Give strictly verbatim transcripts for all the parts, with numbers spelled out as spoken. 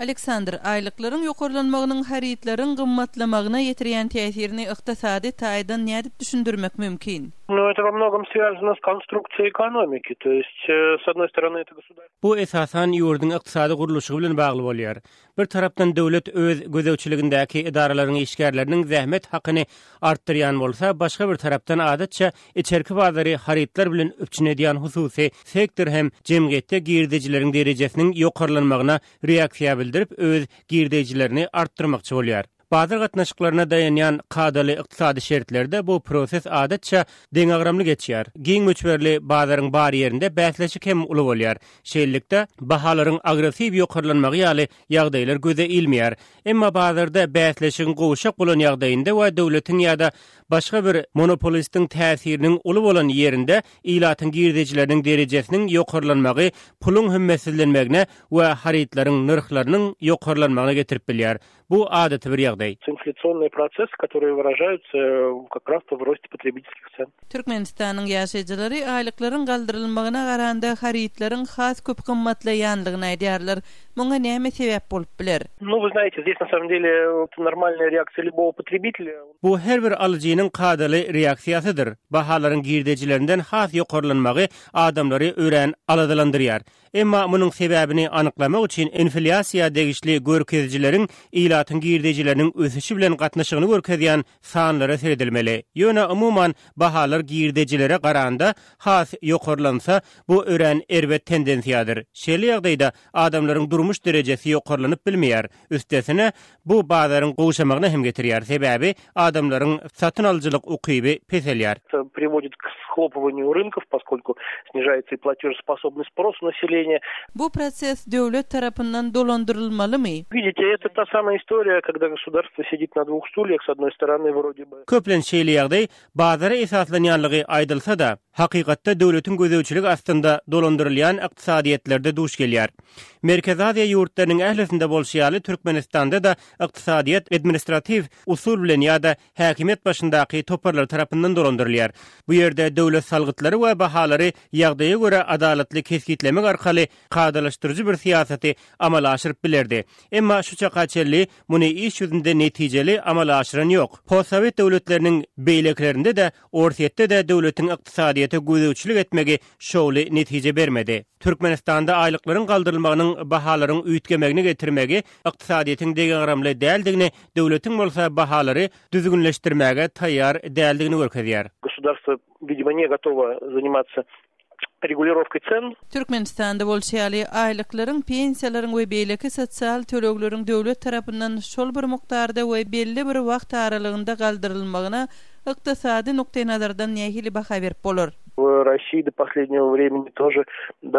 Aleksandr, aýlyklaryň ýokarlanmagynyň harytlaryň gymmatlamagyna ýetirýän täsirini ykdysady taýdan nädip düşündirmek mümkin? Ну, это во многом связано с конструкцией экономики. То есть, э, с одной стороны, это государство... Bu esasan ýurduň ykdysady gurluşy bilen bagly bolýar. Bir tarapdan döwlet öz gözegçiligindäki edaralaryň işgärleriniň zähmet hakyny artdyrýan bolsa, başga bir tarapdan adatça içerki bazary harytlar bilen üpjün edýän hususy sektor hem jemgyýetde girdejileriň derejesiniň ýokarlanmagyna reaksiýa bildirip öz girdejilerini artdyrmakçy bolýar. Bazar gatnaşyklaryna daýanýan kadaly ykdysady şertlerde bu proses adatça deňagramly geçýär. Giň möçberli bazaryň bar ýerinde bäsleşik hem uly bolýar. Şeýlelikde bahalaryň agressiw ýokarlanmagy ýaly ýagdaýlar göze ilmeýär. Emma bazarda bäsleşigiň gowşak bolan ýagdaýynda we döwletiň ýa-da başga bir monopolistiň täsiriniň uly bolan ýerinde ilatyň girdejileriniň derejesiniň ýokarlanmagy puluň hümmetsizlenmegine we harytlaryň nyrhlarynyň ýokarlanmagyna getirip bilýär. Bu adaty bir ýagdaý. Инфляционные процессы, которые выражаются э, как раз в росте потребительских цен. Türkmenistanyň ýaşaýjylary aýlyklaryň galdyrylmagyna garanda harytlaryň has köp gymmatlaýanlygyny aýdýarlar. Muňa näme sebäp bolup biler? Ну, вы знаете, здесь на самом деле это нормальная реакция любого потребителя. Bu her bir alyjynyň kadaly reaksiýasydyr. Bahalaryň girdejilerinden has ýokarlanmagy adamlary örän aladalandyrýar. Emma munuň sebäbini anyklamak üçin inflýasiýa degişli görkezijileriň ilatyň girdejileriniň ösüşi bilen gatnaşygyny görkezýän sanlara seredilmeli. Ýöne umuman bahalar girdejilere garanda has ýokarlansa, bu örän erbet tendensiýadyr. Şeýle ýagdaýda adamlaryň durmuş derejesi ýokarlanyp bilmeýär. Üstesine bu bazaryň gowşamagyna hem getirýär. Sebäbi adamlaryň satyn alyjylyk ukyby peselýär. Это приводит к схлопыванию рынков, поскольку снижается и платежеспособный спрос населения. Bu proses döwlet tarapyndan dolandyrylmalymy? Видите, это та самая история, когда государство сидит на двух стульях, с одной стороны вроде бы Köplenç şeýle ýagdaý bazara esaslanýanlygy aýdylsa-da, hakykatda döwletiň gözegçiligi astynda dolandyrylýan ykdysadyýetlerde duş gelýär. Merkezi Aziýa ýurtlarynyň ählisinde bolşy ýaly Türkmenistanda da ykdysadyýet administratiw usul bilen ýa-da häkimiýet başyndaky toparlar tarapyndan dolandyrylýar. Bu ýerde döwlet salgytlary we bahalary ýagdaýa görä adalatly kesgitlemek arkaly kadalaşdyryjy bir syýasaty amala aşyryp bilerdi. Emma şu çaka çenli muny iş ýüzünde netijeli amala aşyran ýok. Postsowet döwletleriniň beýlekilerinde de Orsýetde de döwletiň ykdysadyýete gözegçilik etmegi şowly netije bermedi. Türkmenistanda aýlyklaryň galdyrylmagynyň bahalaryň üýtgemegini getirmegi ykdysadyýetiň deňagramly däldigini, döwletiň bolsa bahalary düzgünleşdirmäge taýýar däldigini görkezýär. Государство, видимо, не готово заниматься регулировкой цен. Türkmenistanda bolşy ýaly aýlyklaryň, pensiýalaryň we beýleki sosial tölegleriň döwlet tarapyndan şol bir mukdarda we belli bir wagt aralygynda galdyrylmagyna ykdysady nukdaý nazardan nähili baha berip bolar? В России до последнего времени тоже, да,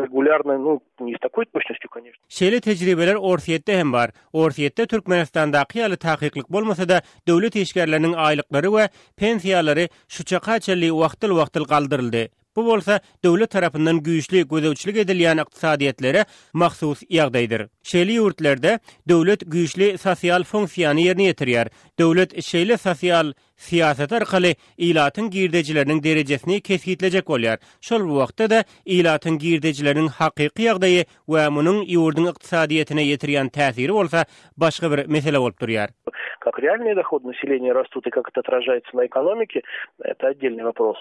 регулярно, ну, не с такой точностью, конечно. Şeýle tejribeler Orsýetde hem bar. Orsýetde Türkmenistandaky ýaly takyklyk bolmasa-da, döwlet işgärleriniň aýlyklary we pensiýalary şu çaka çenli wagtyl-wagtyl galdyryldy. Bu bolsa döwlet tarapyndan güýçli gözegçilik edilýän ykdysadyýetlere mahsus ýagdaýdyr. Şeýle ýurtlarda döwlet güýçli sosial funksiýany ýerine ýetirýär. Döwlet şeýle sosial syýasat arkaly ilatyň girdejileriniň derejesini kesgitlejek bolýar. Şol bu wagtda da ilatyň girdejileriniň hakyky ýagdaýy we munuň ýurduň ykdysadyýetine ýetirýän täsiri bolsa başga bir mesele bolup durýar. Как реальные доходы населения растут и как это отражается на экономике, это отдельный вопрос.